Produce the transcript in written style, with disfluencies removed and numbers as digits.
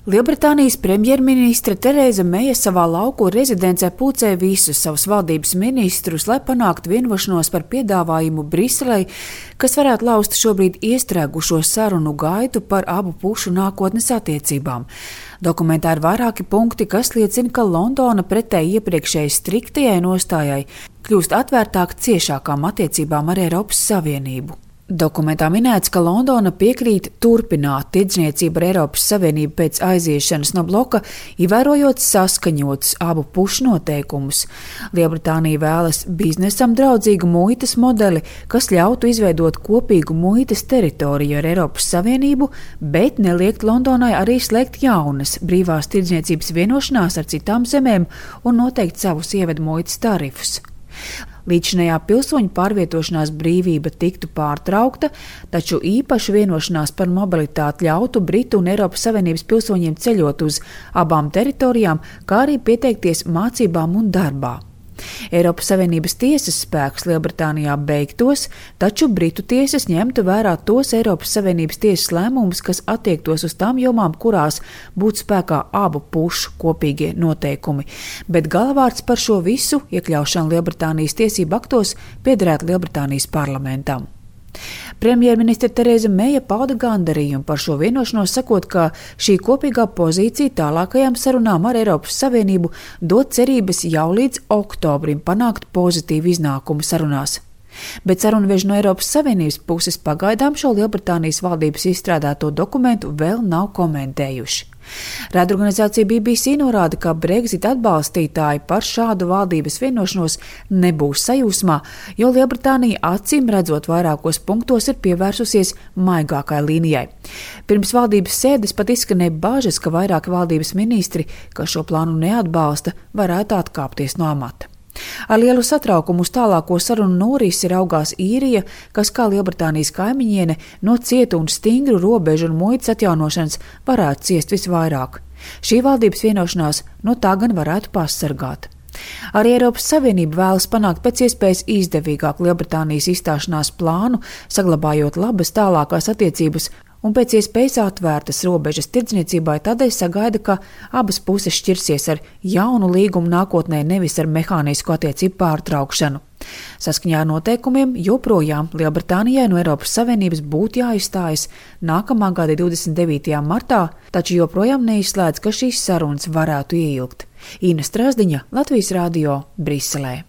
Lielbritānijas premjerministre Tereza Meija savā lauku rezidencē pulcēja visus savus valdības ministrus, lai panāktu vienošanos par piedāvājumu Briselei, kas varētu laust šobrīd iestrēgušo sarunu gaitu par abu pušu nākotnes attiecībām. Dokumentā ir vairāki punkti, kas liecina, ka Londona pretēji iepriekšēji striktajai nostājai kļūst atvērtāk ciešākām attiecībām ar Eiropas Savienību. Dokumentā minēts, ka Londona piekrīt turpināt tirdzniecību ar Eiropas Savienību pēc aiziešanas no bloka, ievērojot saskaņotus abu pušu noteikumus. Lielbritānija vēlas biznesam draudzīgu muitas modeli, kas ļautu izveidot kopīgu muitas teritoriju ar Eiropas Savienību, bet neliekt Londonai arī slēgt jaunas brīvās tirdzniecības vienošanās ar citām zemēm un noteikt savus ievedu muitas tarifus. Līdzinējā pilsoņu pārvietošanās brīvība tiktu pārtraukta, taču īpaša vienošanās par mobilitāti ļautu Britu un Eiropas Savienības pilsoņiem ceļot uz abām teritorijām, kā arī pieteikties mācībām un darbā. Eiropas Savienības tiesas spēks Lielbritānijā beigtos, taču Britu tiesas ņemtu vērā tos Eiropas Savienības tiesas lēmumus, kas attiektos uz tām jomām, kurās būtu spēkā abu pušu kopīgie noteikumi. Bet galvārds par šo visu iekļaušanu Lielbritānijas tiesību aktos piederētu Lielbritānijas parlamentam. Premjerministre Tereza Meija pauda gandarījumu par šo vienošanos, sakot, ka šī kopīgā pozīcija tālākajām sarunām ar Eiropas Savienību dod cerības jau līdz oktobrim panākt pozitīvu iznākumu sarunās. Bet sarunveži no Eiropas Savienības puses pagaidām šo Lielbritānijas valdības izstrādāto dokumentu vēl nav komentējuši. Raidorganizācija BBC norāda, ka Brexit atbalstītāji par šādu valdības vienošanos nebūs sajūsmā, jo Lielbritānija acīm redzot vairākos punktos ir pievērsusies maigākai līnijai. Pirms valdības sēdes pat izskanēja bažas, ka vairāki valdības ministri, kas šo plānu neatbalsta, varētu atkāpties no amata. Ar lielu satraukumu uz tālāko sarunu norisi raugās Īrija, kas kā Lielbritānijas kaimiņiene no cieta un stingru robežu un muitas atjaunošanas varētu ciest visvairāk. Šī valdības vienošanās no tā gan varētu pasargāt. Arī Eiropas Savienība vēlas panākt pēc iespējas izdevīgāku Lielbritānijas izstāšanās plānu, saglabājot labas tālākās attiecības un pēc iespējas atvērtas robežas tirdzniecībai, tādēļ sagaida, ka abas puses šķirsies ar jaunu līgumu nākotnē, nevis ar mehānisku attiecību pārtraukšanu. Saskaņā ar noteikumiem joprojām Lielbritānijai no Eiropas Savienības būtu jāizstājas nākamā gada 29. martā, taču joprojām neizslēdz, ka šīs sarunas varētu ieilgt. Ina Strasdiņa, Latvijas Radio, Briselē.